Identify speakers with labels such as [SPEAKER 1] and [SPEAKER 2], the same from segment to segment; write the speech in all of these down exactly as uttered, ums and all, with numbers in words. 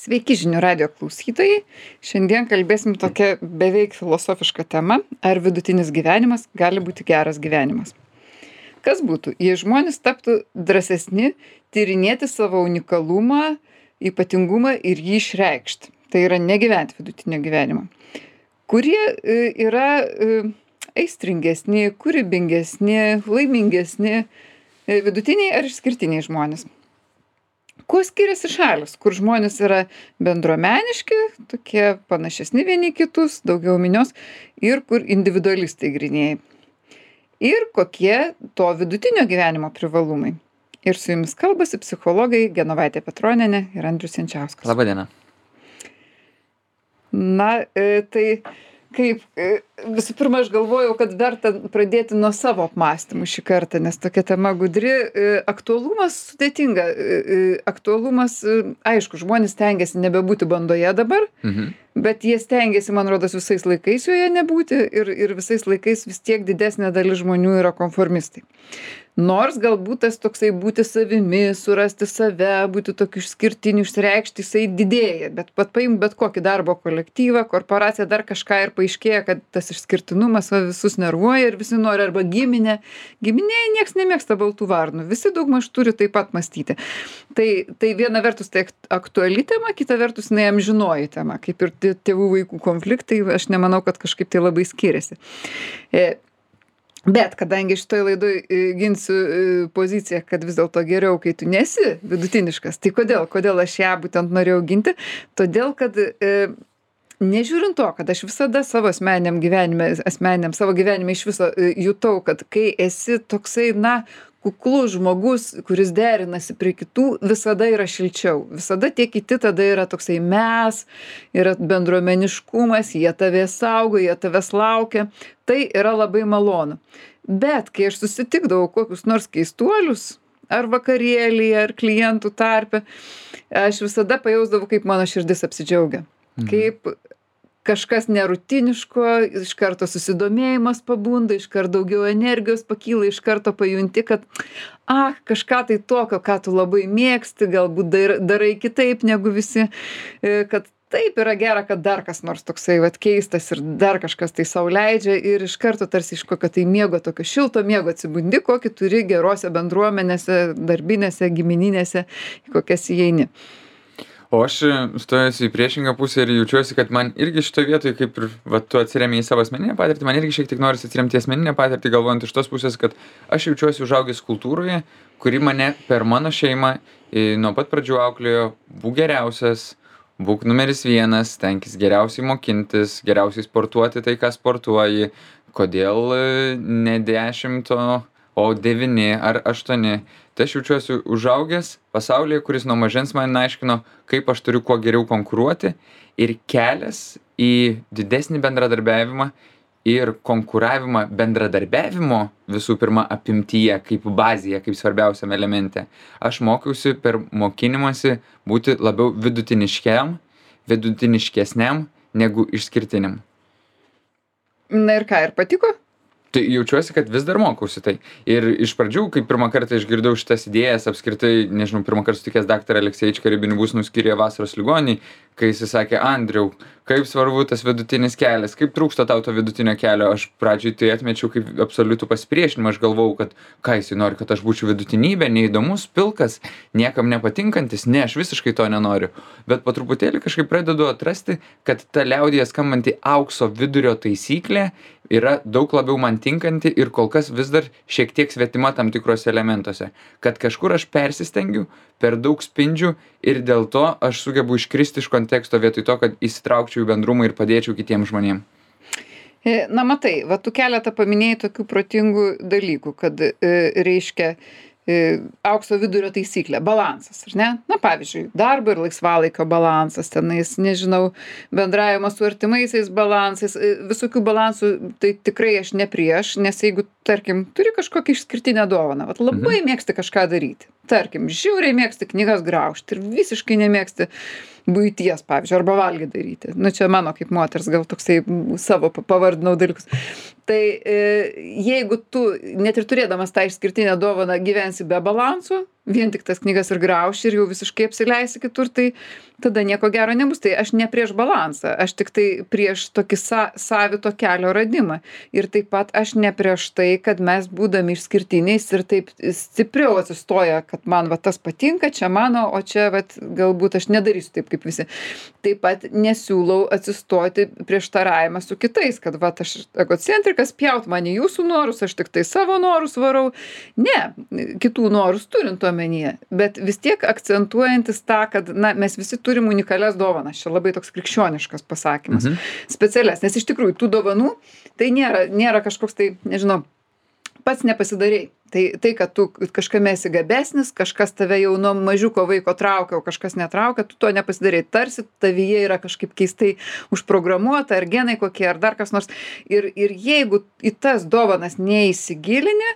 [SPEAKER 1] Sveiki žinių radijo klausytojai. Šiandien kalbėsim tokia beveik filosofiška tema, ar vidutinis gyvenimas gali būti geras gyvenimas. Kas būtų, jei žmonės taptų drąsesni tyrinėti savo unikalumą, ypatingumą ir jį išreikšti. Tai yra negyventi vidutinio gyvenimo. Kurie e, yra e, aistringesni, kūrybingesni, laimingesni, e, vidutiniai ar išskirtiniai žmonės. Kuo skiriasi šalis, kur žmonės yra bendruomeniški, tokie panašesni vieni kitus, daugiau minios, ir kur individualistai grynieji. Ir kokie to vidutinio gyvenimo privalumai. Ir su jumis kalbasi psichologai Genovaitė Petronienė ir Andrius Jančiauskas.
[SPEAKER 2] Labą dieną.
[SPEAKER 1] Na, e, tai kaip, e, visų pirma, aš galvojau, kad verta pradėti nuo savo apmąstymų šį kartą, nes tokia tema gudri. E, aktualumas sudėtinga. E, e, aktualumas, e, aišku, žmonės stengiasi nebebūti bandoje dabar,
[SPEAKER 2] Mhm.
[SPEAKER 1] bet jie stengiasi, man rodos, visais laikais joje nebūti ir, ir visais laikais vis tiek didesnė dalis žmonių yra konformistai. Nors galbūt tas toksai būti savimi, surasti save, būti tokiu išskirtiniu, išsireikšti, jisai didėja. Bet pat paim bet kokį darbo kolektyvą, korporaciją, dar kažką ir paaiškėja, kad tas išskirtinumas va, visus nervuoja ir visi nori arba giminė. Giminėje nieks nemėgsta baltų varnų. Visi daugmaž turi taip pat mąstyti. Tai, tai viena vertus tai aktuali tema, kita vertus jinai amžinoji tema. Kaip ir tėvų vaikų konfliktai, aš nemanau, kad kažkaip tai labai skiriasi. E, Bet kadangi šitoj laidoj e, ginsiu e, poziciją, kad vis dėlto geriau, kai tu nesi vidutiniškas, tai kodėl? Kodėl aš ją būtent norėjau ginti? Todėl, kad e, nežiūrint to, kad aš visada savo asmeniniam gyvenime, asmeniniam savo gyvenime iš viso e, jutau, kad kai esi toksai, na, kuklus žmogus, kuris derinasi prie kitų, visada yra šilčiau. Visada tie kiti tada yra toksai mes, yra bendruomeniškumas, jie tavęs saugo, jie tavęs laukia. Tai yra labai malonu. Bet kai aš susitikdavau kokius nors keistuolius, ar vakarėlį, ar klientų tarpe, aš visada pajausdavau, kaip mano širdis apsidžiaugia.
[SPEAKER 2] Mhm.
[SPEAKER 1] Kaip kažkas nerutiniško, iš karto susidomėjimas pabunda, iš karto daugiau energijos pakyla, iš karto pajunti, kad ah, kažką tai tokio, ką tu labai mėgsti, galbūt dar, darai kitaip negu visi, e, kad taip yra gera, kad dar kas nors toksai vat, keistas ir dar kažkas tai sau leidžia ir iš karto tarsi iš kokio tai miego, tokio šilto miego atsibundi, kokį turi gerose bendruomenėse, darbinėse, gimininėse, į kokias įeini.
[SPEAKER 2] O aš stojuosi į priešingą pusę ir jaučiuosi, kad man irgi šitoje vietoje, kaip ir va, tu atsiremi į savo asmeninę patirtį, man irgi šiek tiek norisi atsiremti į asmeninę patirtį, galvojant iš tos pusės, kad aš jaučiuosi užaugęs kultūroje, kuri mane per mano šeimą e, nuo pat pradžių auklėjo, būk geriausias, būk numeris vienas, stenkis geriausiai mokintis, geriausiai sportuoti tai, ką sportuoji, kodėl e, ne dešimto, o devyni ar aštuoni. Tai aš jaučiuosi užaugęs pasaulyje, kuris nuo mažens man aiškino, kaip aš turiu kuo geriau konkuruoti ir kelias į didesnį bendradarbiavimą ir konkuravimą bendradarbiavimo visų pirma apimtyje, kaip bazėje, kaip svarbiausiam elemente. Aš mokiausi per mokinimąsi būti labiau vidutiniškiam, vidutiniškesniam negu išskirtiniam.
[SPEAKER 1] Na ir ką, ir patiko?
[SPEAKER 2] Tai jaučiuosi, kad vis dar mokausi tai. Ir iš pradžių, kai pirmą kartą išgirdau šitas idėjas, apskritai, nežinau, pirmą kartą sutikęs daktarą Alekseičiką Ribinibus nuskyrė vasaros ligonį, kai jis sakė, Andriau, kaip svarbu tas vidutinis kelias, kaip trūksta tau to vidutinio kelio. Aš pradžioj tai atmečiau kaip absoliutų pasipriešinimą, aš galvojau, kad ką jis nori, kad aš būčiau vidutinybė, neįdomus, pilkas, niekam nepatinkantis, ne, aš visiškai to nenoriu. Bet po truputėlį kažkaip pradedu atrasti, kad ta liaudyje skambanti aukso vidurio taisyklė yra daug labiau man tinkanti ir kol kas vis dar šiek tiek svetima tam tikrose elementuose. Kad kažkur aš persistengiu, per daug spindžiu ir dėl to aš sugebu iškristi iš konteksto vietoj to, kad įsitraukčiau į bendrumą ir padėčiau kitiems žmonėms.
[SPEAKER 1] Na matai, va tu keletą paminėjai tokių protingų dalykų, kad e, reiškia e, aukso vidurio taisyklė, balansas, ar ne? Na pavyzdžiui, darbo ir laisvalaikio balansas, tenais, nežinau, bendravimas su artimaisiais balansais, e, visokių balansų, tai tikrai aš ne prieš, nes jeigu, tarkim, turi kažkokią išskirtinę dovaną, vat labai mhm. mėgsti kažką daryti, tarkim, žiauriai mėgsti knygas graužti ir visiškai nemėgsti buities, pavyzdžiui, arba valgį daryti. Nu, čia mano kaip moters gal toksai savo pavardinau dalykus. Tai e, jeigu tu, net ir turėdamas tą išskirtinę dovaną, gyvensi be balansų, vien tik tas knygas ir grauši ir jau visiškai apsileisi kitur, tai tada nieko gero nebus. Tai aš ne prieš balansą, aš tik tai prieš tokį sa savito kelio radimą. Ir taip pat aš ne prieš tai, kad mes būdami išskirtiniais ir taip stipriau atsistoja, kad man va tas patinka, čia mano, o čia vat galbūt aš nedarysiu taip kaip visi. Taip pat nesiūlau atsistoti prieštaravimą su kitais, kad va aš egocentrikas, pjaut man į jūsų norus, aš tik tai savo norus varau. Ne, kitų norus turint omenyje, bet vis tiek akcentuojantis tą, kad na, mes visi turim unikalias dovanas. Čia labai toks krikščioniškas pasakymas. Mhm. Specialias, nes iš tikrųjų tų dovanų tai nėra, nėra kažkoks tai, nežinau, pats nepasidarei. Tai, tai, kad tu kažkame esi gabesnis, kažkas tave jau nuo mažiuko vaiko traukia, o kažkas netraukia, tu to nepasidarei. Tarsi tavyje yra kažkaip keistai užprogramuota, ar genai kokie, ar dar kas nors. Ir, ir jeigu į tas dovanas neįsigilini,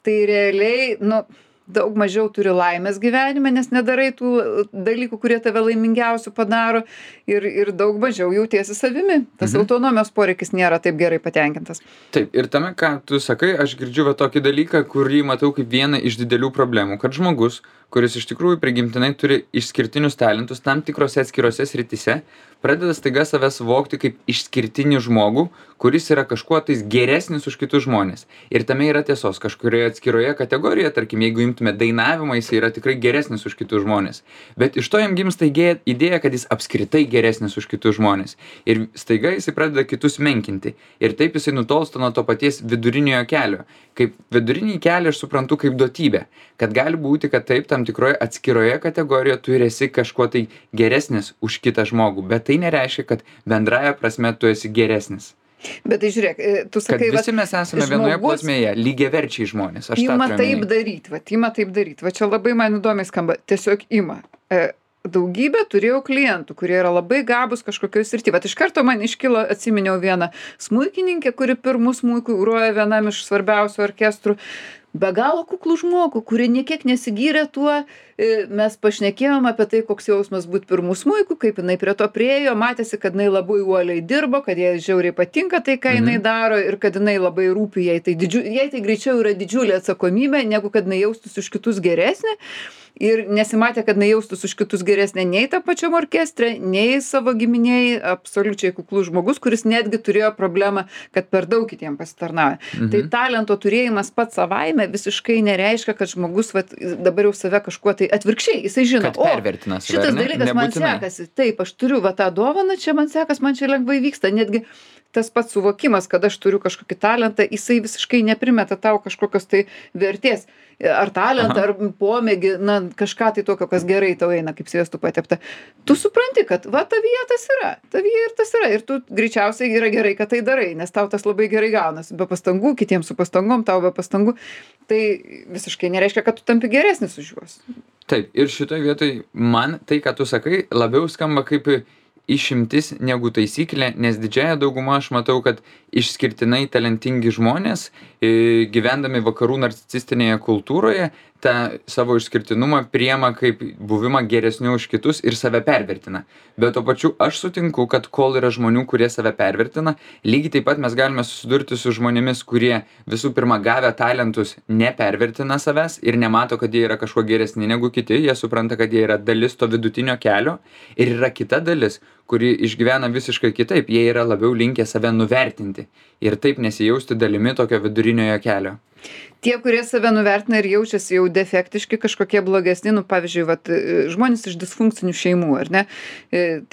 [SPEAKER 1] tai realiai, nu, daug mažiau turi laimės gyvenime, nes nedarai tų dalykų, kurie tave laimingiausių padaro ir, ir daug mažiau jautiesi savimi. Tas mhm. autonomijos poreikis nėra taip gerai patenkintas.
[SPEAKER 2] Taip, ir tame, ką tu sakai, aš girdžiu va tokį dalyką, kurį matau kaip vieną iš didelių problemų, kad žmogus, kuris iš tikrųjų prigimtinai turi išskirtinius talentus tam tikrose atskirose srityse, pradeda staiga save suvokti kaip išskirtinį žmogų, kuris yra kažkuo tais geresnis už kitus žmones. Ir tame yra tiesos. Kažkurioje atskiroje kategorijoje, tarkim, jeigu imtume dainavimą, jis yra tikrai geresnis už kitus žmones. Bet iš to jam gimsta idėja, kad jis apskritai geresnis už kitus žmones. Ir staiga jisai pradeda kitus menkinti. Ir taip jisai nutolsta nuo to paties viduriniojo kelio. Kaip vidurinį kelią aš suprantu kaip duotybę. Kad gali būti, kad taip tam tikroje atskiroje kategorijoje tu esi kažkuo tai geresnis už kitą žmogų. Bet tai nereiškia, kad bendraja prasme tu esi geresnis.
[SPEAKER 1] Bet tai žiūrėk, tu sakai,
[SPEAKER 2] kad visi mes esame žmogus, vienoje plotmėje, lygiaverčiai žmonės. Aš
[SPEAKER 1] ima taip daryti, va, ima taip daryti. Va čia labai man įdomiai skamba. Tiesiog ima. E, daugybę turėjau klientų, kurie yra labai gabūs kažkokioj srity. Vat iš karto man iškilo, atsiminiau vieną smuikininkę, kuri pirmų smuikų groja vienam iš svarbiausių orkestrų. Be galo kuklų žmogų, kuri niekiek nesigyrė tuo, mes pašnekėjom apie tai, koks jausmas būt pirmų smuikų, kaip jinai prie to priėjo, matėsi, kad jinai labai uoliai dirbo, kad jai žiauriai patinka tai, ką jinai daro ir kad jinai labai rūpi jai. Tai, didžiu, jai tai greičiau yra didžiulė atsakomybė, negu kad jinai jaustųsi už kitus geresnė. Ir nesimatė, kad jinai jaustųsi už kitus geresnė nei tą pačiam orkestre, nei savo giminėjai, absoliučiai kuklus žmogus, kuris netgi turėjo problemą, kad per daug kitiem pasitarnauja. Mhm. Tai talento turėjimas pats savaime visiškai nereiškia, kad žmogus vat, dabar jau save kažkuo tai atvirkščiai, jisai žino, o šitas dalykas man sekasi, taip, aš turiu va tą dovaną, čia man sekas, man čia lengvai vyksta, netgi tas pats suvokimas, kad aš turiu kažkokį talentą, jisai visiškai neprimeta tau kažkokios tai vertės. Ar talentą, ar pomėgį, na, kažką tai tokio, kas gerai tau eina, kaip sviestu patepta. Tu supranti, kad va tavyje tas yra, tavyje ir tas yra. Ir tu greičiausiai yra gerai, kad tai darai, nes tau tas labai gerai gaunasi. Be pastangų, kitiems su pastangom, tau be pastangų. Tai visiškai nereiškia, kad tu tampi geresnis už juos.
[SPEAKER 2] Taip, ir šitoje vietoje man tai, ką tu sakai, labiau skamba kaip išimtis negu taisyklė, nes didžiąją daugumą aš matau, kad išskirtinai talentingi žmonės, gyvendami vakarų narcisistinėje kultūroje, tą savo išskirtinumą priema kaip buvimą geresniu už kitus ir save pervertina. Bet to pačiu aš sutinku, kad kol yra žmonių, kurie save pervertina, lygiai taip pat mes galime susidurti su žmonėmis, kurie visų pirma gavę talentus nepervertina savęs ir nemato, kad jie yra kažkuo geresni negu kiti, jie supranta, kad jie yra dalis to vidutinio kelio ir yra kita dalis, kuri išgyvena visiškai kitaip, jie yra labiau linkę save nuvertinti ir taip nesijausti dalimi tokio viduriniojo kelio.
[SPEAKER 1] Tie, kurie save nuvertina ir jaučiasi jau defektiški, kažkokie blogesni, nu, pavyzdžiui, vat, žmonės iš disfunkcinių šeimų, ar ne?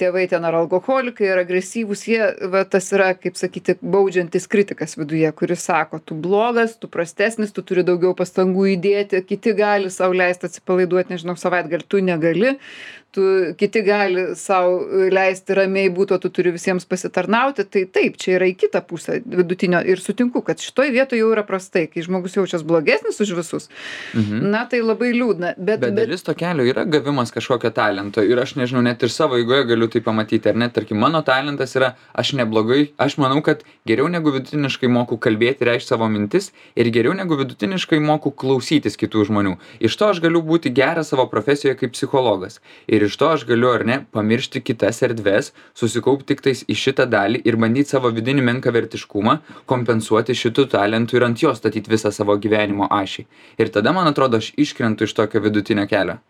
[SPEAKER 1] Tėvai ten ar alkoholikai, ar agresyvūs, jie, va, tas yra, kaip sakyti, baudžiantis kritikas viduje, kuris sako, tu blogas, tu prastesnis, tu turi daugiau pastangų įdėti, kiti gali sau leisti atsipalaiduoti, nežinau, savaitgalį, tu negali, tu, kiti gali sau leisti ramiai būti, o tu turi visiems pasitarnauti, tai taip, čia yra į kitą pusę vidutinio ir sutinku, kad šitoj vietoje jau yra prastai, kai žmogus jaučias blogesnis už visus, mhm. na tai labai liūdna. Bet,
[SPEAKER 2] bet dalis to kelio yra gavimas kažkokio talento ir aš nežinau, net ir savo eigoje galiu tai pamatyti, ar net, tarkim, mano talentas yra, aš neblogai, aš manau, kad geriau negu vidutiniškai moku kalbėti, reikšti savo mintis ir geriau negu vidutiniškai moku klausytis kitų žmonių. Iš to aš galiu būti geras savo profesijoje kaip psichologas ir iš to aš galiu, ar ne, pamiršti kitas erdves, susikaupti tik tais į šitą dalį ir bandyti savo vidinį menkavertiškumą kompensuoti šitų talentų ir ant jo statyti visą visą savo gyvenimo ašį. Ir tada, man atrodo, aš iškrentu iš tokio vidutinio kelio.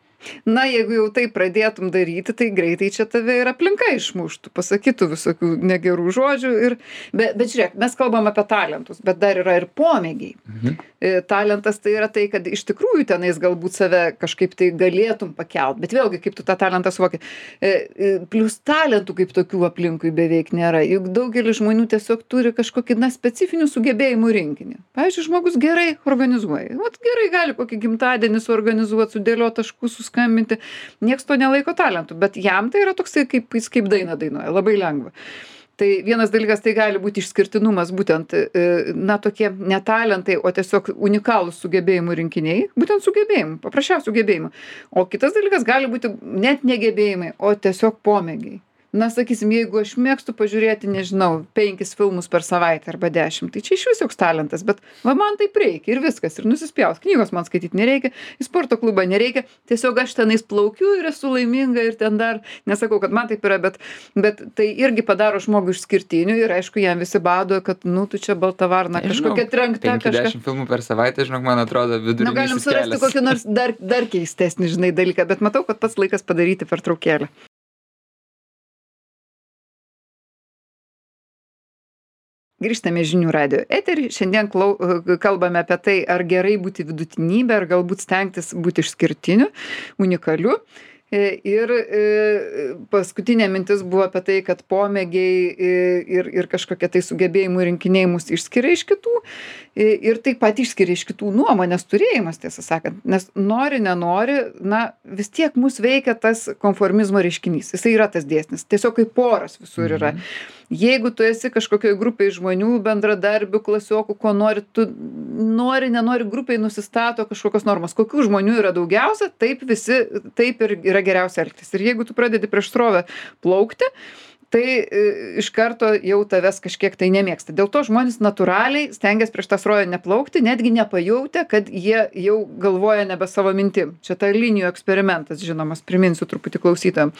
[SPEAKER 1] Na, jeigu jau tai pradėtum daryti, tai greitai čia tave ir aplinka išmuštų, pasakytų visokių negerų žodžių. Ir, bet, bet žiūrėk, mes kalbam apie talentus, bet dar yra ir pomėgiai.
[SPEAKER 2] Mhm.
[SPEAKER 1] E, talentas tai yra tai, kad iš tikrųjų tenais galbūt save kažkaip tai galėtum pakelt, bet vėlgi, kaip tu tą talentą suvoki. E, e, plus talentų kaip tokių aplinkui beveik nėra. Juk daugelis žmonių tiesiog turi kažkokį, na, specifinių sugebėjimų rinkinį. Pavyzdžiui, žmogus gerai organizuoja. Vat gerai gali kokį gimtadienį suorganizuoti, sudėlioti taškus, skambinti, nieks to nelaiko talentu, bet jam tai yra toksai, kaip jis kaip dainą dainuoja, labai lengva. Tai vienas dalykas, tai gali būti išskirtinumas, būtent, na, tokie ne talentai, o tiesiog unikalūs sugebėjimų rinkiniai, būtent sugebėjimų, paprasčiausių sugebėjimų. O kitas dalykas gali būti net negebėjimai, o tiesiog pomėgiai. Na, sakysim, jeigu aš mėgstu pažiūrėti, nežinau, penkis filmus per savaitę arba dešimt, tai čia iš vis joks talentas, bet va, man taip reikia ir viskas, ir nusispjaus. Knygos man skaityti nereikia, į sporto klubą nereikia, tiesiog aš tenais plaukiu ir esu laiminga ir ten dar, nesakau, kad man taip yra, bet, bet tai irgi padaro žmogų išskirtiniu ir aišku, jam visi bado, kad, nu, tu čia balta varna, kažkokia trenkta kažką.
[SPEAKER 2] penkiasdešimt filmų per savaitę, žinok, man atrodo, vidurinis
[SPEAKER 1] kelias. Na, galim surasti kokį nors dar, dar keistesnį, žinai, dalyką, bet matau, kad pats laikas padaryti pertraukėlę. Grįžtame žinių radijo eterį. Šiandien klau, kalbame apie tai, ar gerai būti vidutinybė, ar galbūt stengtis būti išskirtiniu, unikaliu. Ir paskutinė mintis buvo apie tai, kad pomėgiai ir, ir kažkokie tai sugebėjimų rinkiniai mus išskiria iš kitų ir taip pat išskiria iš kitų nuomonės turėjimas, tiesą sakant. Nes nori, nenori, na, vis tiek mus veikia tas konformizmo reiškinys. Jisai yra tas dėsnis. Tiesiog kaip poras visur yra. Mhm. Jeigu tu esi kažkokioj grupėj žmonių, bendradarbių, klasiokų, ko nori, tu nori, nenori, grupėj nusistato kažkokios normos. Kokių žmonių yra daugiausia, taip visi, taip ir yra geriausia elgtis. Ir jeigu tu pradedi prieš srovę plaukti, tai e, iš karto jau tavęs kažkiek tai nemėgsta. Dėl to žmonės natūraliai stengiasi prieš tą srovę neplaukti, netgi nepajautę, kad jie jau galvoja nebe savo mintim. Čia ta linijų eksperimentas, žinomas, priminsiu truputį klausytojam,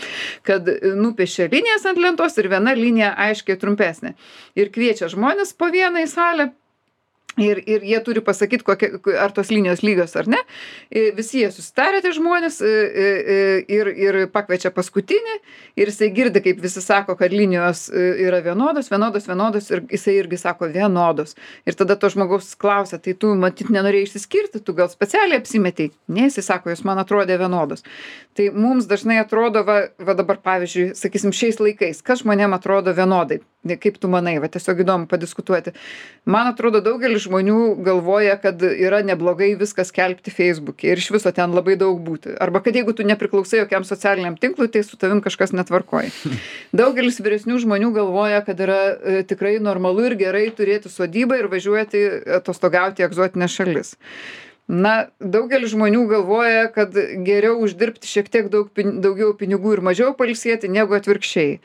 [SPEAKER 1] kad nupiešia linijas ant lentos ir viena linija aiškiai trumpesnė. Ir kviečia žmonės po vieną į salę. Ir, ir jie turi pasakyti, kokie, ar tos linijos lygios ar ne. Visi jie susitarė, tie žmonės, ir, ir pakviečia paskutinį, ir jisai girdi, kaip visi sako, kad linijos yra vienodos, vienodos, vienodos, ir jisai irgi sako vienodos. Ir tada to žmogaus klausia, tai tu matyt nenorėjai išsiskirti, tu gal specialiai apsimetei. Ne, jisai sako, jos man atrodė vienodos. Tai mums dažnai atrodo, va, va dabar pavyzdžiui, sakysim, šiais laikais, kas žmonėm atrodo vienodai. Kaip tu manai, va tiesiog įdomu padiskutuoti. Man atrodo, daugelis žmonių galvoja, kad yra neblogai viskas skelbti Facebook'e ir iš viso ten labai daug būti. Arba kad jeigu tu nepriklausai jokiam socialiniam tinklui, tai su tavim kažkas netvarkoja. Daugelis vyresnių žmonių galvoja, kad yra e, tikrai normalu ir gerai turėti sodybą ir važiuoti atostogauti į egzotinės šalis. Na, daugelis žmonių galvoja, kad geriau uždirbti šiek tiek daug, daugiau pinigų ir mažiau pailsėti negu atvirkščiai.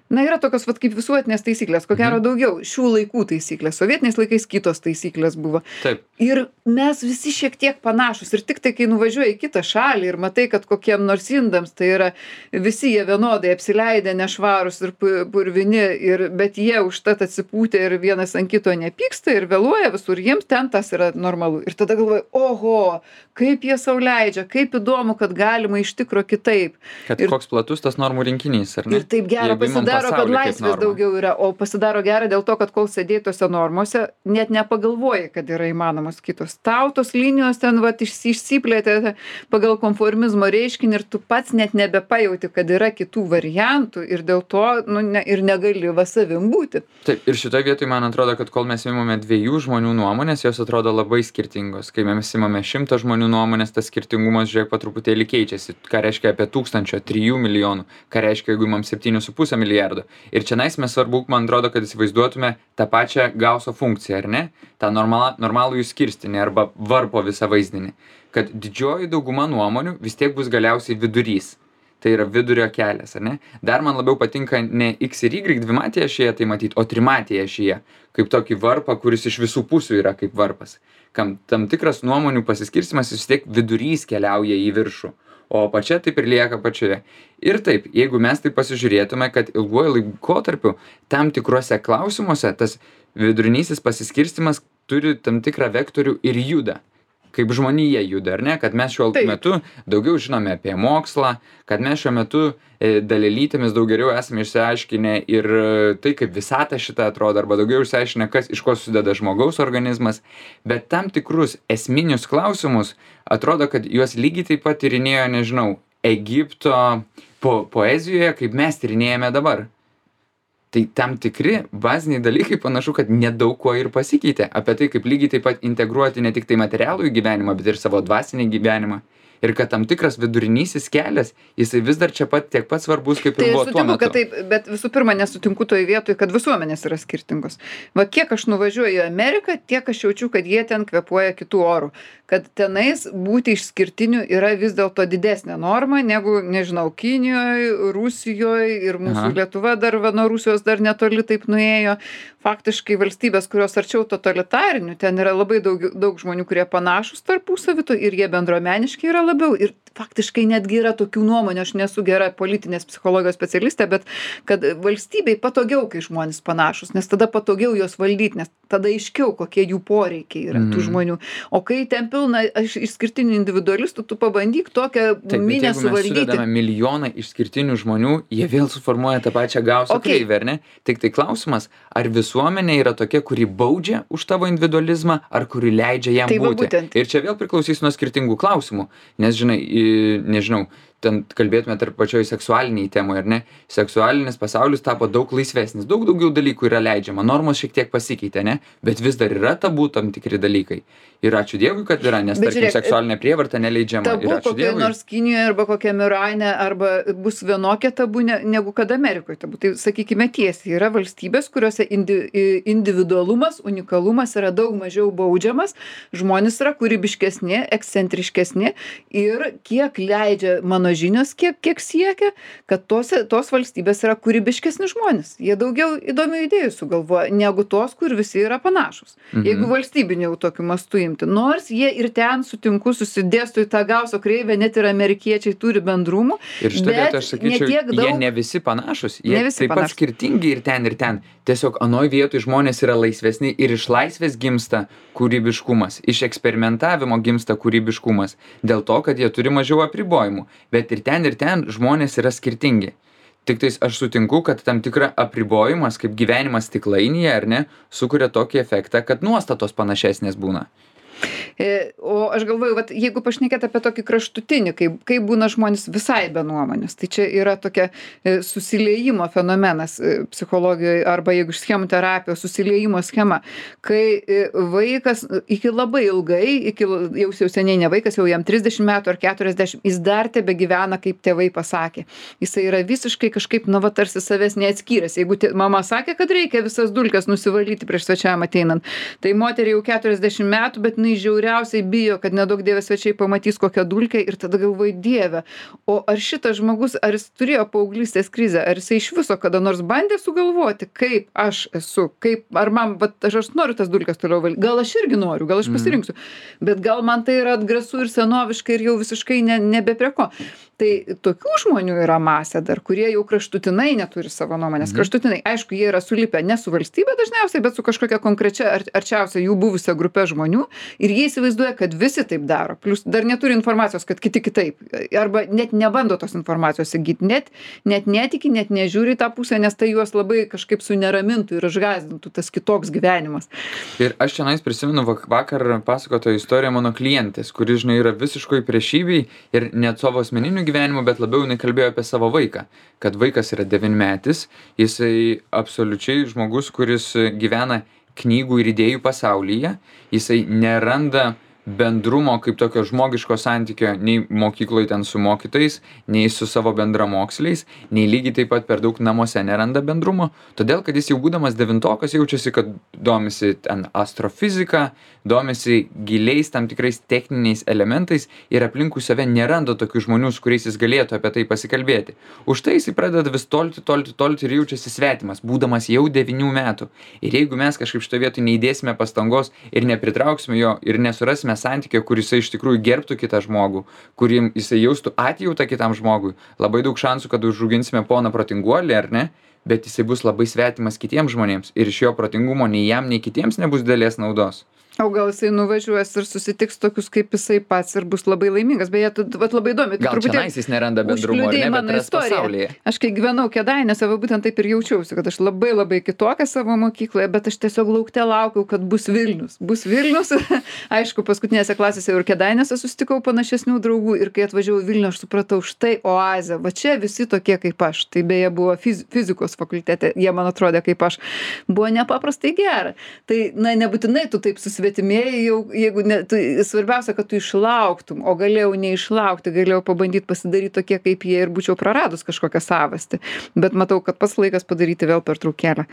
[SPEAKER 1] Na, yra tokios vat kaip visuotinės taisyklės, ko gero daugiau šių laikų taisyklės, sovietiniais laikais kitos taisyklės buvo.
[SPEAKER 2] Taip.
[SPEAKER 1] Ir mes visi šiek tiek panašus ir tik tai, kai nuvažiuoji į kitą šalį ir matai, kad kokiem nors indams, tai yra visi jie vienodai apsileidę, nešvarus ir purvini, ir, bet jie užtat atsipūtę ir vienas ant kito nepyksta ir vėluoja visur, jiems ten tas yra normalu. Ir tada galvoju, oho, kaip jie sau leidžia, kaip įdomu, kad galima iš tikro kitaip.
[SPEAKER 2] Kad
[SPEAKER 1] ir,
[SPEAKER 2] koks platus tas normų rinkinys, ar ne?
[SPEAKER 1] Ir taip gera pasidaro, kad laisvės daugiau yra, o pasidaro gera dėl to, kad kol sėdėjai tose normose, net nepagalvoji, kad yra įmanomos kitos. Tau tos linijos ten vat išsiplėtė pagal konformizmo reiškinį ir tu pats net nebepajauti, kad yra kitų variantų ir dėl to nu, ne, ir negali va savim būti.
[SPEAKER 2] Taip, ir šitoje vietoje man atrodo, kad kol mes imame dviejų žmonių nuomonės, jos atrodo labai skirtingos. Kai mes imame šimto žmonių nuomonės, tas skirtingumas, žiūrėk, po truputėlį keičiasi. Ką reiškia apie tūkstančio, trijų milijonų, ką reiškia, jeigu imam septynių su pusė milijardo. Ir čia nais mes svarbu, man atrodo, kad įsivaizduotume tą pačią Gauso funkciją, ar ne? tą normalą, normalų jų skirstinį arba varpo visą vaizdinį, kad didžioji dauguma nuomonių vis tiek bus galiausiai vidurys. Tai yra vidurio kelias, ar ne? Dar man labiau patinka ne X ir Y dvimatėje ašyje tai matyti, o trimatėje ašyje, kaip tokį varpą, kuris iš visų pusių yra kaip varpas. Kam tam tikras nuomonių pasiskirstimas vis tiek vidurys keliauja į viršų, o apačia taip ir lieka pačioje. Ir taip, jeigu mes tai pasižiūrėtume, kad ilguoju laikotarpiu tam tikruose klausimuose tas vidurinysis pasiskirstimas turi tam tikrą vektorių ir juda. Kaip žmonija juda, ar ne? Kad mes šiuo
[SPEAKER 1] Taip.
[SPEAKER 2] metu daugiau žinome apie mokslą, kad mes šiuo metu e, dalelytėmis daug geriau esame išsiaiškinę ir e, tai, kaip visata šitą atrodo, arba daugiau išsiaiškinę, kas iš ko susideda žmogaus organizmas, bet tam tikrus esminius klausimus atrodo, kad juos lygiai taip pat tyrinėjo, nežinau, Egipto po poezijoje, kaip mes tyrinėjame dabar. Tai tam tikri baziniai dalykai panašu, kad nedaug kuo ir pasikeitė. Apie tai, kaip lygiai taip pat integruoti ne tik tai materialų į gyvenimą, bet ir savo dvasinį gyvenimą. Ir kad tam tikras vidurinysis kelias, jisai vis dar čia pat tiek pat svarbus, kaip
[SPEAKER 1] Tai
[SPEAKER 2] ir
[SPEAKER 1] aš
[SPEAKER 2] buvo tuo
[SPEAKER 1] sutinku,
[SPEAKER 2] metu.
[SPEAKER 1] kad taip, bet visų pirma nesutinku toj vietoj, kad visuomenės yra skirtingos. Va kiek aš nuvažiuoju į Ameriką, tiek aš jaučiu, kad jie ten kvėpuoja kitų orų. Kad tenais būti išskirtiniu yra vis dėlto didesnė norma negu, nežinau, Kinijoje, Rusijoje ir mūsų
[SPEAKER 2] Aha.
[SPEAKER 1] Lietuva dar va, nuo Rusijos dar netoli taip nuėjo. Faktiškai valstybės, kurios arčiau totalitarinių, ten yra labai daug, daug žmonių, kurie panašus tarpusavito ir jie bendruomeniški yra labiau. Ir faktiškai netgi yra tokių nuomonių, aš nesu gera politinės psichologijos specialistė, bet kad valstybei patogiau, kai žmonės panašus, nes tada patogiau juos valdyti, nes tada aiškiau, kokie jų poreikiai yra tų
[SPEAKER 2] Mhm.
[SPEAKER 1] žmonių. O kai ten pilna aš- išskirtinių individualistų, tu pabandyk tokią
[SPEAKER 2] Taip, bet
[SPEAKER 1] minę
[SPEAKER 2] jeigu mes
[SPEAKER 1] suvaldyti.
[SPEAKER 2] sudedame milijoną išskirtinių žmonių, jie vėl suformuoja tą pačią gausią
[SPEAKER 1] Okei.
[SPEAKER 2] kreivę, ar ne? Tik tai klausimas, ar visuomenė yra tokia, kuri baudžia už tavo individualizmą, ar kuri leidžia jam
[SPEAKER 1] Tai va
[SPEAKER 2] būti.
[SPEAKER 1] būtent.
[SPEAKER 2] Ir čia vėl priklausys nuo skirtingų klausimų. Nes, žinai, į- nežinau, ten kalbėtume tarp pačioj seksualiniai temai, ar ne? Seksualinis pasaulis tapo daug laisvesnis, daug daugiau dalykų yra leidžiama, normos šiek tiek pasikeitė, ne? Bet vis dar yra tabu tam tikri dalykai. Ir ačiū Dievui, kad yra, nes
[SPEAKER 1] Bet
[SPEAKER 2] tarkim
[SPEAKER 1] žiūrėk,
[SPEAKER 2] seksualinė prievarta neleidžiama.
[SPEAKER 1] Tabu
[SPEAKER 2] Ir ačiū
[SPEAKER 1] kokioje
[SPEAKER 2] Dievui.
[SPEAKER 1] nors Kinijoje arba kokiame Irane arba bus vienokia tabu ne, negu kad Amerikoje tabu. Tai sakykime tiesiai, yra valstybės, kuriuose indi, i- individualumas, unikalumas yra daug mažiau baudžiamas, žmonės yra kūrybiškesni, ekscentriškesni ir kiek leidžia mano žinios, kiek, kiek siekia, kad tose, tos valstybės yra kūrybiškesni žmonės. Jie daugiau įdomių idėjų sugalvoja negu tos, kur visi yra panašūs.
[SPEAKER 2] Mhm.
[SPEAKER 1] Jeigu valstybinių jau tokiu mastu imti. Nors jie ir ten sutinku susidėstų į tą gauso kreivę, net ir amerikiečiai turi bendrumų.
[SPEAKER 2] Ir šitą
[SPEAKER 1] bet
[SPEAKER 2] vietą aš sakyčiau,
[SPEAKER 1] ne tiek
[SPEAKER 2] jie
[SPEAKER 1] daug-
[SPEAKER 2] ne visi panašus, jie
[SPEAKER 1] Ne visi
[SPEAKER 2] taip pat
[SPEAKER 1] panašūs.
[SPEAKER 2] skirtingi ir ten, ir ten. Tiesiog anoj vietoj žmonės yra laisvesni ir iš laisvės gimsta kūrybiškumas, iš eksperimentavimo gimsta kūrybiškumas, dėl to, kad jie turi mažiau apribojimų. Bet ir ten, ir ten žmonės yra skirtingi. Tik tais aš sutinku, kad tam tikra apribojimas, kaip gyvenimas stiklainyje, ar ne, sukuria tokį efektą, kad nuostatos panašesnės būna.
[SPEAKER 1] E, O aš galvoju, vat, jeigu pašnekėt apie tokį kraštutinį, kaip, kaip būna žmonės visai be nuomonės, tai čia yra tokia e, susiliejimo fenomenas e, psichologijoje arba jeigu iš schemų terapijos susiliejimo schema, kai e, vaikas e, iki labai ilgai, iki l- jau jau seniai ne vaikas, jau jam trisdešimt metų ar keturiasdešimt, jis dar tebe gyvena, kaip tėvai pasakė. Jisai yra visiškai kažkaip, nu, va, tarsi savęs neatskyręs. Jeigu tė, mama sakė, kad reikia visas dulkes nusivalyti prieš svečiam ateinant, tai moteriai jau keturiasdešimt metų, bet jinai žiauriausiai bijo, kad nedaug dievė svečiai pamatys kokią dulkę ir tada galvoji, dieve, o ar šitas žmogus, ar jis turėjo paauglystės krizę, ar jisai iš viso kada nors bandė sugalvoti, kaip aš esu, kaip, ar man, bet aš, aš noriu tas dulkes toliau valyti, gal aš irgi noriu, gal aš pasirinksiu, bet gal man tai yra atgrasu ir senoviškai ir jau visiškai ne, nebe prie ko. Tai tokių žmonių yra masė dar, kurie jau kraštutinai neturi savo nuomonės.
[SPEAKER 2] Mhm.
[SPEAKER 1] Kraštutinai, aišku, jie yra sulipę ne su valstybė dažniausiai, bet su kažkokia konkrečia ar, arčiausia jų buvusia grupė žmonių ir jie įsivaizduoja, kad visi taip daro. Plius dar neturi informacijos, kad kiti kitaip. Arba net nebando tos informacijos įgyti, net, net netiki, net nežiūri į tą pusę, nes tai juos labai kažkaip suneramintų ir išgąsdintų tas kitoks gyvenimas.
[SPEAKER 2] Ir aš čia prisimenu vak- vakar pasakotoją istoriją mano klientės, kuri, žinai, yra visiškoj priešybei ir net savo asmeniniu gyvenimu, bet labiau jinai kalbėjo apie savo vaiką. Kad vaikas yra devynmetis, jisai absoliučiai žmogus, kuris gyvena knygų ir idėjų pasaulyje, jisai neranda bendrumo kaip tokio žmogiško santykio nei mokykloje ten su mokytojais, nei su savo bendramoksliais, nei lygiai taip pat per daug namuose neranda bendrumo, todėl kad jis jau būdamas devintokas jaučiasi, kad domisi ten astrofizika, domisi giliais tam tikrais techniniais elementais ir aplinkui save neranda tokių žmonių, su kuriais jis galėtų apie tai pasikalbėti. Už tai jis pradeda vis tolti, tolti, tolti ir jaučiasi svetimas, būdamas jau devynių metų. Ir jeigu mes kažkaip šitoje vietoje neįdėsime pastangos ir nepritrauksime jo ir nesurasime santykio, kur jisai iš tikrųjų gerbtų kitą žmogų, kurį jisai jaustų atjautą kitam žmogui, labai daug šansų, kad užauginsime poną protinguolį, ar ne? bet jisai bus labai svetimas kitiems žmonėms ir iš jo protingumo nei jam, nei kitiems nebus didelės naudos.
[SPEAKER 1] O gal jisai nuvažiuos ir susitiks tokius kaip jisai pats ir bus labai laimingas. Beje, tu vat labai įdomi.
[SPEAKER 2] Gal čionais jis neranda bendrumo, ar ne, bet ras pasaulyje.
[SPEAKER 1] Aš kai gyvenau Kėdainiuose, va būtent taip ir jaučiausi, kad aš labai labai kitokia savo mokykloje, bet aš tiesiog laukte laukiau, kad bus Vilnius. Bus Vilnius. Aišku, paskutinėse klasėse jau ir Kėdainiuose susitikau panašesnių draugų ir kai atvažiavau į Vilnių, aš supratau, štai oazė. Va čia visi tokie kaip aš. Tai beje buvo fiz fizikos fakultete, jie man atrodė kaip aš. Buvo nepaprastai gera. Tai na, nebūtinai tu taip susitikti svetimieji jau, jeigu ne, tu, svarbiausia, kad tu išlauktum, o galėjau neišlaukti, galėjau pabandyti pasidaryti tokie kaip jie ir būčiau praradus kažkokią savastį. Bet matau, kad pats laikas padaryti vėl pertraukėlę.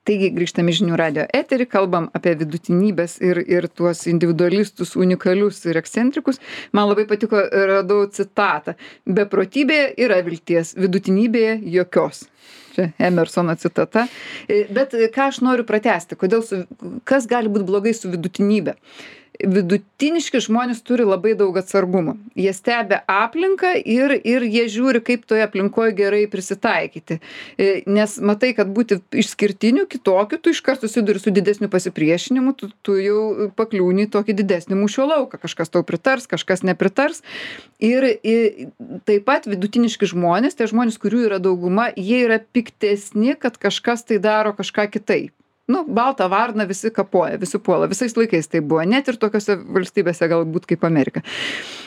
[SPEAKER 1] Taigi grįžtame į Žinių radijo eterį, kalbam apie vidutinybės ir, ir tuos individualistus, unikalius ir ekscentrikus. Man labai patiko, radau citatą. Beprotybėje yra vilties, vidutinybėje jokios. Čia Emersono citata. Bet ką aš noriu pratęsti, kodėl su, kas gali būti blogai su vidutinybė? Vidutiniški žmonės turi labai daug atsargumo. Jie stebi aplinką ir, ir jie žiūri, kaip toje aplinkoje gerai prisitaikyti. Nes matai, kad būti išskirtiniu, kitokiu, tu iškart susiduri su didesniu pasipriešinimu, tu, tu jau pakliūni į tokį didesnį mūšio lauką. Kažkas tau pritars, kažkas nepritars. Ir, ir taip pat vidutiniški žmonės, tai žmonės, kurių yra dauguma, jie yra piktesni, kad kažkas tai daro kažką kitaip. Nu, baltą varną visi kapoja, visi puola. Visais laikais tai buvo. Net ir tokiose valstybėse galbūt kaip Amerika.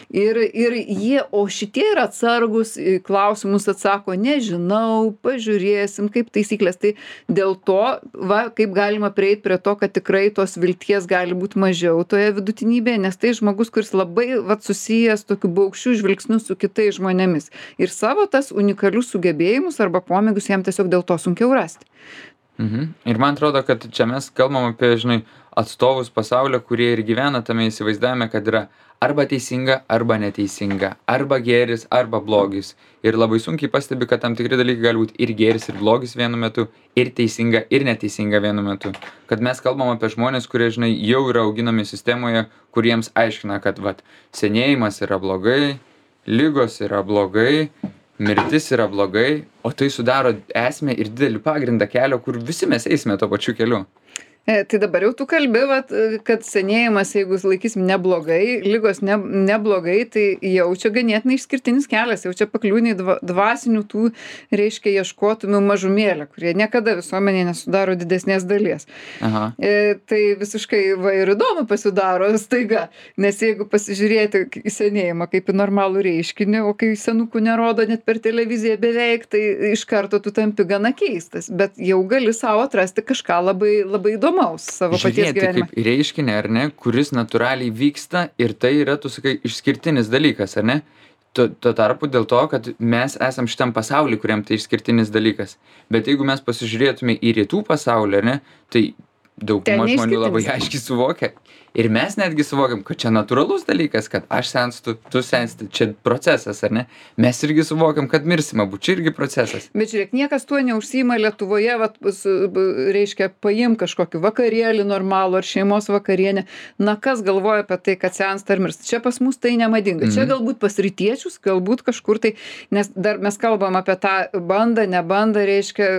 [SPEAKER 1] Ir, ir jie, o šitie yra atsargus, klausimus atsako, nežinau, pažiūrėsim, kaip taisyklės. Tai dėl to, va, kaip galima prieiti prie to, kad tikrai tos vilties gali būti mažiau toje vidutinybėje, nes tai žmogus, kuris labai va, susijęs tokiu baukščiu žvilgsniu su kitais žmonėmis. Ir savo tas unikalius sugebėjimus arba pomėgius jam tiesiog dėl to sunkiau rasti.
[SPEAKER 2] Mhm. Ir man atrodo, kad čia mes kalbam apie, žinai, atstovus pasaulio, kurie ir gyvena tame įsivaizdavime, kad yra arba teisinga, arba neteisinga, arba gėris, arba blogis. Ir labai sunkiai pastebi, kad tam tikri dalykai gali būti ir gėris, ir blogis vienu metu, ir teisinga, ir neteisinga vienu metu. Kad mes kalbam apie žmonės, kurie, žinai, jau yra auginami sistemoje, kuriems aiškina, kad, vat, senėjimas yra blogai, ligos yra blogai, mirtis yra blogai, o tai sudaro esmę ir didelį pagrindą kelio, kur visi mes eisime to pačiu keliu.
[SPEAKER 1] E, tai dabar jau tu kalbi, vat, kad senėjimas, jeigu laikysim neblogai, lygos ne, neblogai, tai jau čia ganėtinai išskirtinis kelias, jau čia pakliūni dva, dvasinių tų, reiškia, ieškotumių mažumėlę, kurie niekada visuomenėje nesudaro didesnės dalies.
[SPEAKER 2] Aha.
[SPEAKER 1] E, tai visiškai va ir įdomu pasidaro staiga, nes jeigu pasižiūrėti į senėjimą kaip į normalų reiškinį, o kai senukų nerodo net per televiziją beveik, tai iš karto tu tampi gana keistas, bet jau gali savo atrasti kažką labai, labai įdomu. Savo paties gyvenimą.
[SPEAKER 2] Kaip reiškinį, ar ne, kuris natūraliai vyksta ir tai yra, tu sakai, išskirtinis dalykas, ar ne? Tuo, tuo tarpu dėl to, kad mes esam šitam pasauly, kuriam tai išskirtinis dalykas. Bet jeigu mes pasižiūrėtume į rytų pasaulį, ar ne, tai dauguma žmonių labai aiškiai suvokia. Ir mes netgi suvokiam, kad čia natūralus dalykas, kad aš senstu, tu sensti, čia procesas, ar ne? Mes irgi suvokiam, kad mirsim abu, čia irgi procesas.
[SPEAKER 1] Bet žiūrėk, niekas tuo neužsiima Lietuvoje, vat, su, reiškia, paim kažkokį vakarėlį normalų ar šeimos vakarienę. Na, kas galvoja apie tai, kad sensta ar mirst? Čia pas mus tai nemadinga. Mhm. Čia galbūt pas rytiečius, galbūt kažkur tai, nes dar mes kalbam apie tą bandą, nebandą, reiškia,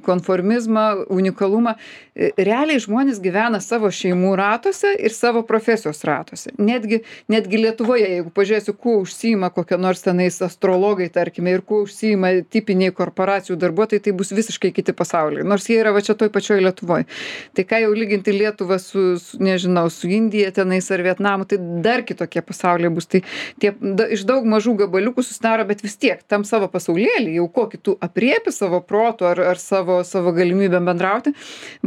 [SPEAKER 1] konformizmą, unikalumą. Realiai žmonės gyvena savo šeimų ratuose ir savo profesijos ratuose. Netgi, netgi Lietuvoje, jeigu pažiūrėsiu, kuo užsiima kokie nors tenais astrologai, tarkime, ir kuo užsiima tipiniai korporacijų darbuotojai, tai bus visiškai kiti pasauliai. Nors jie yra va čia toj pačioj Lietuvoje. Tai ką jau lyginti Lietuvą su, su nežinau, su Indija tenais ar Vietnamu, tai dar kitokie pasauliai bus. Tai tie da, iš daug mažų gabaliukų susidaro, bet vis tiek tam savo pasaulėlį, jau kokį tu apriepi savo protu ar, ar savo, savo galimybę bendrauti,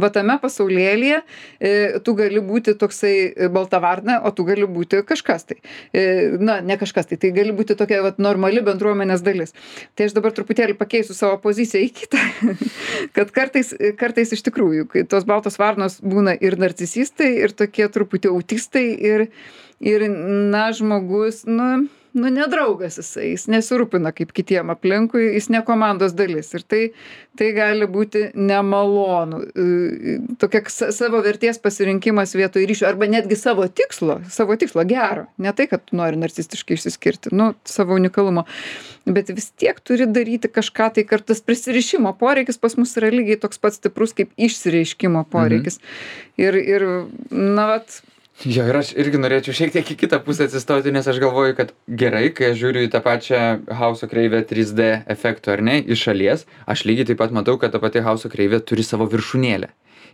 [SPEAKER 1] va tame pasaulėlyje e, tu gali būti toksai balta varna, o tu gali būti kažkas tai. Na, ne kažkas tai, tai gali būti tokia vat, normali bendruomenės dalis. Tai aš dabar truputėlį pakeisiu savo poziciją į kitą, kad kartais, kartais iš tikrųjų, kai tos baltos varnos būna ir narcisistai, ir tokie truputį autistai, ir, ir na, žmogus, nu, nu, nedraugas jisai, jis nesirūpina kaip kitiem aplinkui, jis ne komandos dalis. Ir tai, tai gali būti nemalonu. Tokia savo vertės pasirinkimas vietoj ryšio, arba netgi savo tikslo, savo tikslo gero. Ne tai, kad tu nori narcistiškai išsiskirti, nu, savo unikalumo. Bet vis tiek turi daryti kažką, tai kartais prisirišimo poreikis pas mus yra lygiai toks pats stiprus kaip išsireiškimo poreikis. Mhm. Ir, ir, na, vat,
[SPEAKER 2] Jo, ir aš irgi norėčiau šiek tiek į kitą pusę atsistoti, nes aš galvoju, kad gerai, kai aš žiūriu į tą pačią Hauso kreivę trys D efektų, ar ne, iš šalies, aš lygiai taip pat matau, kad ta pati Hauso kreivė turi savo viršūnėlę.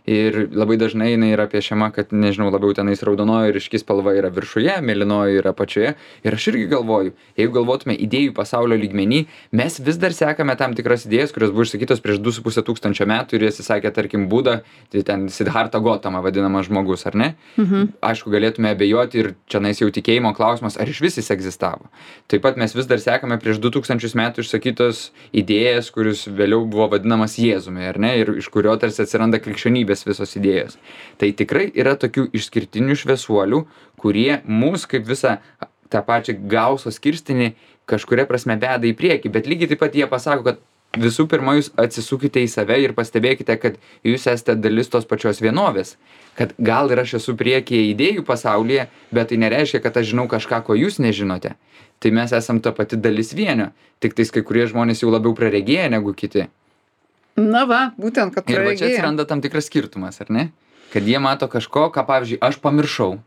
[SPEAKER 2] Ir labai dažnai jinai yra piešiama, kad, nežinau, labiau tenais raudonoji ryški spalva yra viršuje, mėlynoji yra apačioje. Ir aš irgi galvoju, jeigu galvotume idėjų pasaulio lygmenį, mes vis dar sekame tam tikras idėjas, kurios buvo išsakytos prieš du su puse tūkstančio metų ir jas įsakė, tarkim, Buda, tai ten Siddhartha Gautama vadinamas žmogus, ar ne? Mhm. Aišku, galėtume abejoti ir čionais jau tikėjimo klausimas, ar iš vis jis egzistavo. Taip pat mes vis dar sekame prieš du tūkstančius metų išsakytos idėjas, kuris vėliau buvo vadinamas Jėzumi, ar ne? Ir iš kurio tarsi atsiranda krikščionybės visos idėjos. Tai tikrai yra tokių išskirtinių šviesuolių, kurie mus kaip visą tą pačią Gauso skirstinį kažkuria prasme veda į priekį, bet lygiai taip pat jie pasako, kad visų pirma jūs atsisukite į save ir pastebėkite, kad jūs esate dalis tos pačios vienovės, kad gal ir aš esu priekyje idėjų pasaulyje, bet tai nereiškia, kad aš žinau kažką, ko jūs nežinote. Tai mes esam ta pati dalis vienio, tik tais kai kurie žmonės jau labiau praregėję negu kiti.
[SPEAKER 1] Na va, būtent, kad
[SPEAKER 2] ir va čia
[SPEAKER 1] praregėję.
[SPEAKER 2] atsiranda tam tikras skirtumas, ar ne? Kad jie mato kažko, ką, pavyzdžiui, aš pamiršau.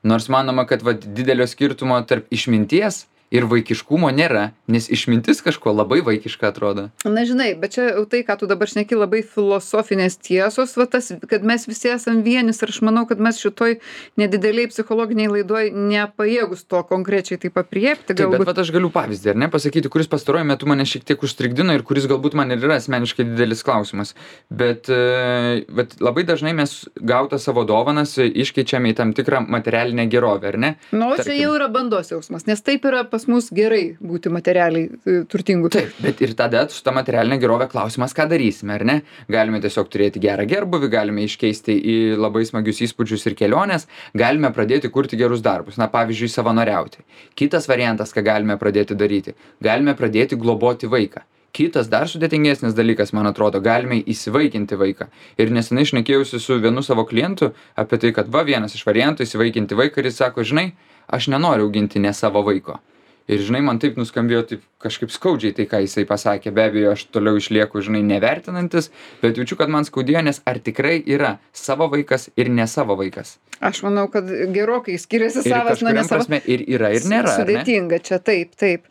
[SPEAKER 2] Nors manoma, kad va, didelio skirtumo tarp išminties ir vaikiškumo nėra, nes išmintis kažko labai vaikiška atrodo.
[SPEAKER 1] Na, žinai, bet čia jau tai, ką tu dabar šneki, labai filosofinės tiesos, va tas, kad mes visi esam vienis ir aš manau, kad mes šitoj nedideliai psichologiniai laidoj nepajėgus to konkrečiai taip apriepti.
[SPEAKER 2] Taip,
[SPEAKER 1] galbūt.
[SPEAKER 2] bet vat aš galiu pavyzdį, ar ne, pasakyti, kuris pastaruoju metu mane šiek tiek užstrigdino ir kuris galbūt man ir yra asmeniškai didelis klausimas. Bet, bet labai dažnai mes gautą savo dovanas iškeičiame į tam tikrą materialinę gerovę, ar ne?
[SPEAKER 1] Nu, čia
[SPEAKER 2] Tarkim,
[SPEAKER 1] jau yra bandos jausmas, nes taip yra pas mus gerai būti materialiai e, turtingu.
[SPEAKER 2] Taip, bet ir tada su ta materialinė gerovė klausimas, ką darysime, ar ne? Galime tiesiog turėti gerą gerbuvį, galime iškeisti į labai smagius įspūdžius ir keliones, galime pradėti kurti gerus darbus, na pavyzdžiui, savanoriauti. Kitas variantas, ką galime pradėti daryti, galime pradėti globoti vaiką. Kitas dar sudėtingesnis dalykas, man atrodo, galime įsivaikinti vaiką. Ir nesenai šnekėjausi su vienu savo klientu apie tai, kad va vienas iš variantų įsivaikinti vaiką ir jis sako, žinai, aš nenoriu auginti ne savo vaiko. Ir žinai, man taip nuskambėjo taip kažkaip skaudžiai tai, ką jisai pasakė. Be abejo, aš toliau išlieku, žinai, nevertinantis, bet jaučiu, kad man skaudėjo, nes ar tikrai yra savo vaikas ir ne savo vaikas.
[SPEAKER 1] Aš manau, kad gerokai skiriasi
[SPEAKER 2] Ir
[SPEAKER 1] savas nuo
[SPEAKER 2] kažkuriam
[SPEAKER 1] nesavas.
[SPEAKER 2] prasme ir yra, ir nėra. ar ne?
[SPEAKER 1] Sudėtinga čia, taip, taip.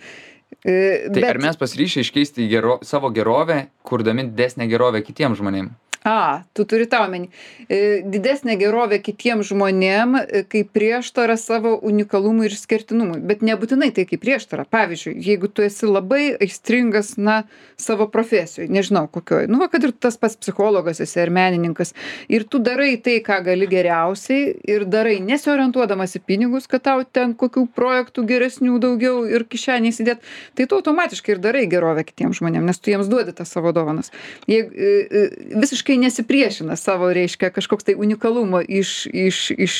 [SPEAKER 1] E,
[SPEAKER 2] Tai ar mes pasiryšę iškeisti į gero, savo gerovę, kurdami didesnę gerovę kitiems žmonėms?
[SPEAKER 1] A, tu turi tą omeny. E, Didesnė gerovė kitiem žmonėm, e, kaip prieštara savo unikalumui ir skirtinumui. Bet nebūtinai tai kaip prieštara. Pavyzdžiui, jeigu tu esi labai aistringas, na, savo profesijoje, nežinau kokioj, nu, va, kad ir tas pats psichologas esi ar menininkas, ir tu darai tai, ką gali geriausiai, ir darai nesiorientuodamas į pinigus, kad tau ten kokių projektų geresnių daugiau ir kišeniai įsidėt, tai tu automatiškai ir darai gerovę kitiems žmonėms, nes tu jiems duodi tas savo dovanas. Jeigu e, e, visiškai nesipriešina savo, reiškia, kažkoks tai unikalumo iš, iš, iš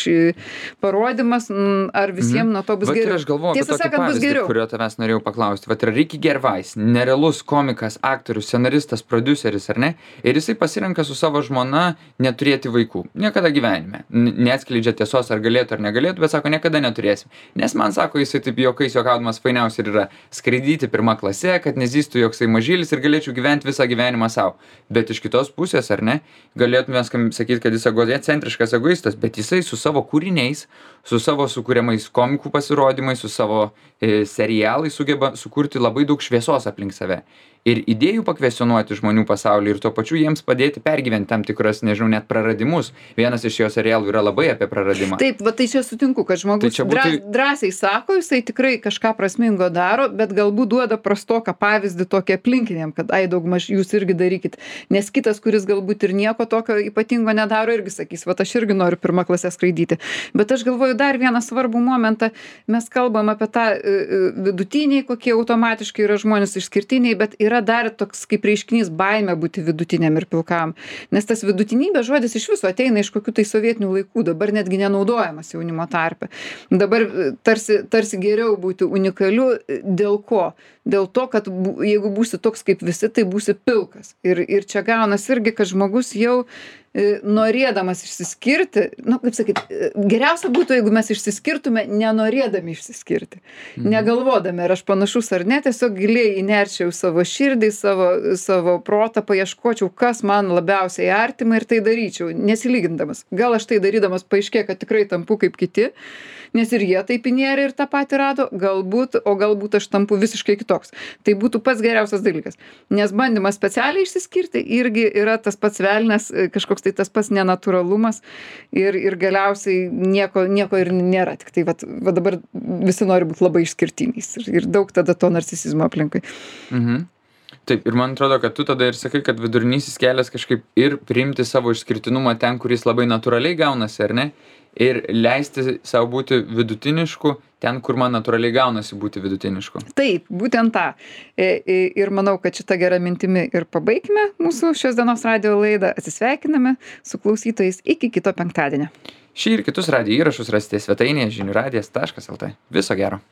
[SPEAKER 1] parodimas, m, ar visiems nuo to bus
[SPEAKER 2] Vat ir
[SPEAKER 1] geriau.
[SPEAKER 2] aš galvoju apie
[SPEAKER 1] Tiesą
[SPEAKER 2] tokį
[SPEAKER 1] sakant, bus
[SPEAKER 2] pavyzdį,
[SPEAKER 1] geriau.
[SPEAKER 2] kurio tavęs norėjau paklausti. Vat yra Ricky Gervais, nerealus komikas, aktorius, scenaristas, prodiuseris, ar ne? Ir jisai pasirenka su savo žmona neturėti vaikų. Niekada gyvenime. N- Neatskleidžia tiesos, ar galėtų ar negalėtų, bet sako, niekada neturėsim. Nes man sako, jisai taip juokais juokaudamas fainiausia ir yra skraidyti pirmą klasę, kad nezystų joksai mažylis ir galėčiau gyventi visą gyvenimą savo. Bet iš kitos pusės, ar ne, galėtume sakyti, kad jis egocentriškas egoistas, bet jisai su savo kūriniais, su savo sukūriamais komikų pasirodymais, su savo e, serialais sugeba sukurti labai daug šviesos aplink save. Ir idėjų pakvestionuoti žmonių pasaulį ir tuo pačiu jiems padėti pergyventi tam tikras, nežinau, net praradimus. Vienas iš jo serialų yra labai apie praradimą.
[SPEAKER 1] Taip, va tai čia sutinku, kad žmogus
[SPEAKER 2] Tai čia būtų-
[SPEAKER 1] drąs- drąsiai sako, jisai tikrai kažką prasmingo daro, bet galbūt duoda prastoką pavyzdį tokį aplinkiniam, kad ai daugmaž jūs irgi darykit. Nes kitas, kuris galbūt ir nieko tokio ypatingo nedaro, irgi sakys, va aš irgi noriu pirmą klasę skraidyti. Bet aš galvoju dar vieną svarbų momentą. Mes kalbam apie tą e, e, vidutiniai, kokie automatiškai yra žmonės išskirtiniai, bet yra yra dar toks kaip reiškinys baimė būti vidutiniam ir pilkam. Nes tas vidutinybės žodis iš viso ateina iš kokių tai sovietinių laikų, dabar netgi nenaudojamas jaunimo tarpe. Dabar tarsi, tarsi geriau būti unikaliu. Dėl ko? Dėl to, kad bu, jeigu būsi toks kaip visi, tai būsi pilkas. Ir, ir čia gaunas irgi, kad žmogus jau e, norėdamas išsiskirti, nu, kaip sakyt, e, geriausia būtų, jeigu mes išsiskirtume nenorėdami išsiskirti. Mhm. Negalvodami, ar aš panašus ar ne, tiesiog giliai įnerčiau savo širdį, savo, savo protą, paieškočiau, kas man labiausiai artima ir tai daryčiau, nesilygindamas. Gal aš tai darydamas paaiškė, kad tikrai tampu kaip kiti, nes ir jie taip įnėrė ir tą patį rado, galbūt, o galbūt aš tampu visiškai kitoks. Tai būtų pats geriausias dalykas. Nes bandymas specialiai išsiskirti irgi yra tas pats velnias, kažkoks tai tas pats nenatūralumas ir, ir galiausiai nieko, nieko ir nėra. Tik tai vat, va dabar visi nori būti labai išskirtiniais ir, ir daug tada to narcisizmo aplinkui.
[SPEAKER 2] Mhm. Taip, ir man atrodo, kad tu tada ir sakai, kad vidurinysis kelias kažkaip ir priimti savo išskirtinumą ten, kuris labai natūraliai gaunasi, ar ne? Ir leisti savo būti vidutinišku ten, kur man natūraliai gaunasi būti vidutinišku.
[SPEAKER 1] Taip, būtent tą. Ir manau, kad šitą gerą mintimi ir pabaigime mūsų šios dienos radijo laidą. Atsisveikiname su klausytojais iki kito penktadienio.
[SPEAKER 2] Šį ir kitus radijo įrašus rasite svetainėje žinių radijas taškas lt. Viso gero.